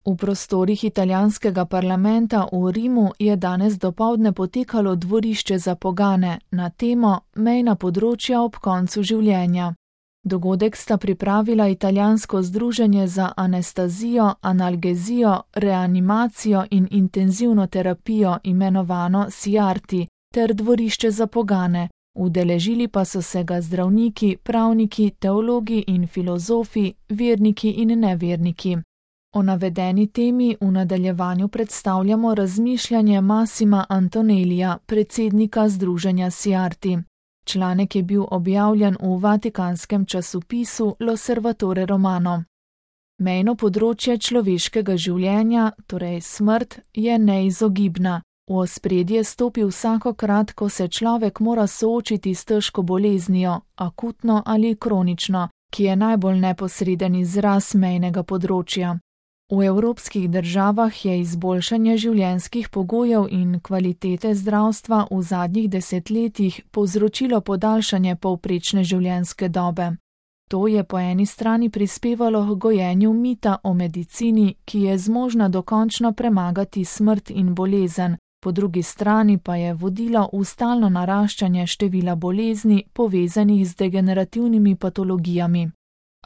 V prostorih italijanskega parlamenta v Rimu je danes dopoldne potekalo dvorišče za pogane na temo Mejna področja ob koncu življenja. Dogodek sta pripravila italijansko združenje za anestezijo, analgezijo, reanimacijo in intenzivno terapijo imenovano SIARTI ter dvorišče za pogane. Udeležili pa so se ga zdravniki, pravniki, teologi in filozofi, verniki in neverniki. O navedeni temi v nadaljevanju predstavljamo razmišljanje Massima Antonellija, predsednika združenja SIARTI. Članek je bil objavljen v vatikanskem časopisu L'Osservatore Romano. Mejno področje človeškega življenja, torej smrt, je neizogibna. V ospredje stopi vsakokrat, ko se človek mora soočiti s težko boleznijo, akutno ali kronično, ki je najbolj neposreden izraz mejnega področja. V evropskih državah je izboljšanje življenjskih pogojev in kvalitete zdravstva v zadnjih desetletjih povzročilo podaljšanje povprečne življenjske dobe. To je po eni strani prispevalo k gojenju mita o medicini, ki je zmožna dokončno premagati smrt in bolezen, po drugi strani pa je vodilo v stalno naraščanje števila bolezni povezanih z degenerativnimi patologijami.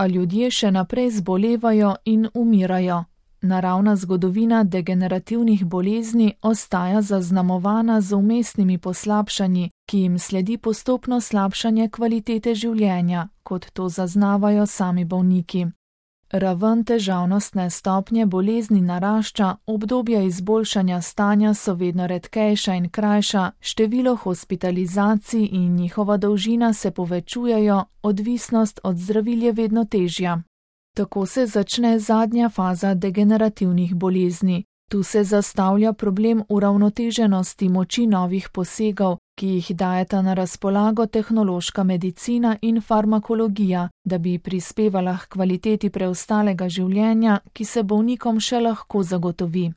A ljudje še naprej zbolevajo in umirajo. Naravna zgodovina degenerativnih bolezni ostaja zaznamovana z vmesnimi poslabšanji, ki jim sledi postopno slabšanje kvalitete življenja, kot to zaznavajo sami bolniki. Raven težavnostne stopnje bolezni narašča, obdobja izboljšanja stanja so vedno redkejša in krajša, število hospitalizacij in njihova dolžina se povečujejo, odvisnost od zdravil je vedno težja. Tako se začne zadnja faza degenerativnih bolezni. Tu se zastavlja problem uravnoteženosti moči novih posegov, ki jih dajeta na razpolago tehnološka medicina in farmakologija, da bi prispevala k kvaliteti preostalega življenja, ki se bolnikom še lahko zagotovi.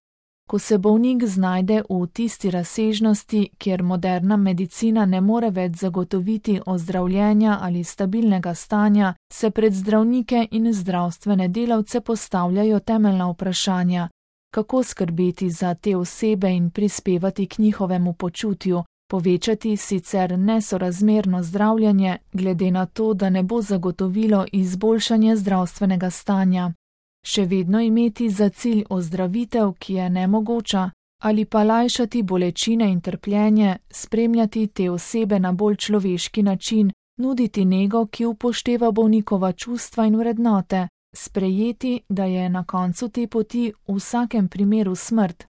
Ko se bolnik znajde v tisti razsežnosti, kjer moderna medicina ne more več zagotoviti ozdravljenja ali stabilnega stanja, se pred zdravnike in zdravstvene delavce postavljajo temeljna vprašanja. Kako skrbeti za te osebe in prispevati k njihovemu počutju, povečati sicer nesorazmerno zdravljenje, glede na to, da ne bo zagotovilo izboljšanje zdravstvenega stanja. Še vedno imeti za cilj ozdravitev, ki je nemogoča, ali pa lajšati bolečine in trpljenje, spremljati te osebe na bolj človeški način, nuditi nego, ki upošteva bolnikova čustva in vrednote, sprejeti, da je na koncu te poti v vsakem primeru smrt.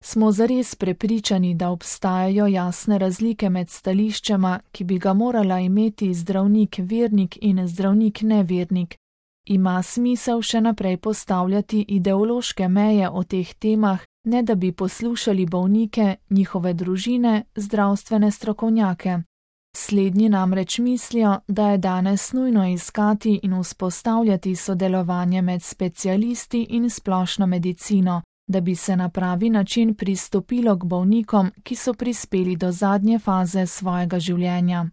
Smo zares prepričani, da obstajajo jasne razlike med stališčema, ki bi ga morala imeti zdravnik vernik in zdravnik nevernik. Ima smisel še naprej postavljati ideološke meje o teh temah, ne da bi poslušali bolnike, njihove družine, zdravstvene strokovnjake. Slednji namreč mislijo, da je danes nujno iskati in vzpostavljati sodelovanje med specialisti in splošno medicino, da bi se na pravi način pristopilo k bolnikom, ki so prispeli do zadnje faze svojega življenja.